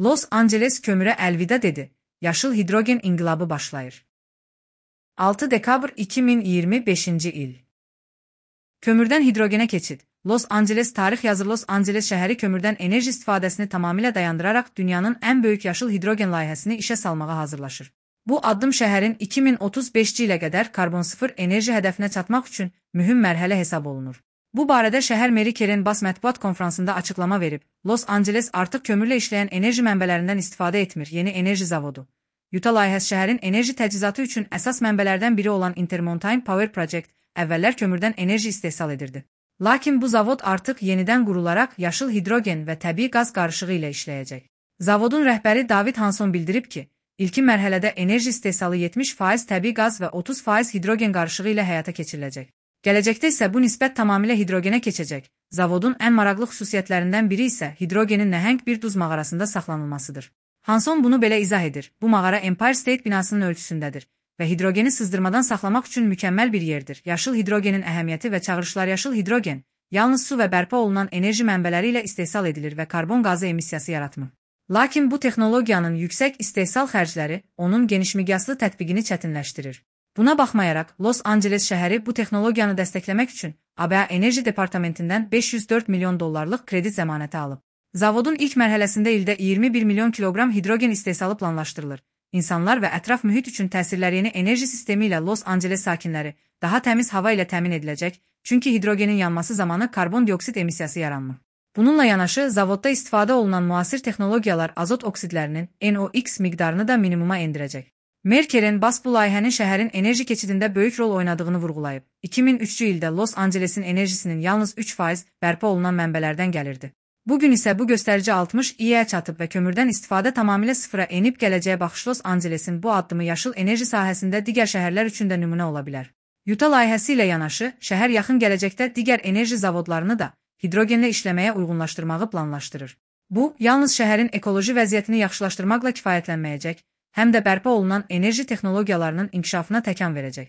Los Angeles kömürə əlvida dedi. Yaşıl hidrogen inqilabı başlayır. 6 dekabr 2025-ci il. Kömürdən hidrogenə keçid. Los Angeles tarix yazır. Los Angeles şəhəri kömürdən enerji istifadəsini tamamilə dayandıraraq dünyanın ən böyük yaşıl hidrogen layihəsini işə salmağa hazırlaşır. Bu addım şəhərin 2035-ci ilə qədər karbon sıfır enerji hədəfinə çatmaq üçün mühüm mərhələ hesab olunur. Bu barədə şəhər meri Karen Bass mətbuat konfransında açıqlama verib. Los Angeles artıq kömürlə işləyən enerji mənbələrindən istifadə etmir. Yeni enerji zavodu. Utah layihəsi şəhərin enerji təchizatı üçün əsas mənbələrdən biri olan Intermountain Power Project əvvəllər kömürdən enerji istehsal edirdi. Lakin bu zavod artıq yenidən qurularaq yaşıl hidrogen və təbii qaz qarışığı ilə işləyəcək. Zavodun rəhbəri David Hanson bildirib ki, ilkin mərhələdə enerji istehsalı 70% təbii qaz və 30% hidrogen qarışığı ilə həyata keçiriləcək. Gələcəkdə isə bu nisbət tamamilə hidrogenə keçəcək. Zavodun ən maraqlı xüsusiyyətlərindən biri isə hidrogenin nəhəng bir duz mağarasında saxlanılmasıdır. Hanson bunu belə izah edir. Bu mağara Empire State binasının ölçüsündədir və hidrogeni sızdırmadan saxlamaq üçün mükəmməl bir yerdir. Yaşıl hidrogenin əhəmiyyəti və çağırışlar. Yaşıl hidrogen yalnız su və bərpa olunan enerji mənbələri ilə istehsal edilir və karbon qazı emissiyası yaratmır. Lakin bu texnologiyanın yüksək istehsal xərcləri onun genişmiqyaslı tətbiqini çətinləşdirir. Buna baxmayaraq, Los Angeles şəhəri bu texnologiyanı dəstəkləmək üçün ABA Enerji Departamentindən $504 milyon kredit zəmanəti alıb. Zavodun ilk mərhələsində ildə 21 milyon kiloqram hidrogen istehsalı planlaşdırılır. İnsanlar və ətraf mühit üçün təsirləri yeni enerji sistemi ilə Los Angeles sakinləri daha təmiz hava ilə təmin ediləcək, çünki hidrogenin yanması zamanı karbon dioksid emissiyası yaranmır. Bununla yanaşı, zavodda istifadə olunan müasir texnologiyalar azot oksidlərinin NOx miqdarını da minimuma endirəcək. Mer Karen Bass bu layihənin şəhərin enerji keçidində böyük rol oynadığını vurğulayıb. 2003-cü ildə Los Angelesin enerjisinin yalnız 3% bərpa olunan mənbələrdən gəlirdi. Bugün isə bu göstərici 60%-yə çatıb və kömürdən istifadə tamamilə sıfıra enib. Gələcəyə baxış. Los Angelesin bu addımı yaşıl enerji sahəsində digər şəhərlər üçün də nümunə ola bilər. Utah layihəsi ilə yanaşı, şəhər yaxın gələcəkdə digər enerji zavodlarını da hidrogenlə işləməyə uyğunlaşdırmağı planlaşdırır. Bu, yalnız şəhərin ekoloji vəziyyətini yaxşılaşdırmaqla kifayətlənməyəcək, həm də bərpa olunan enerji texnologiyalarının inkişafına təkan verəcək.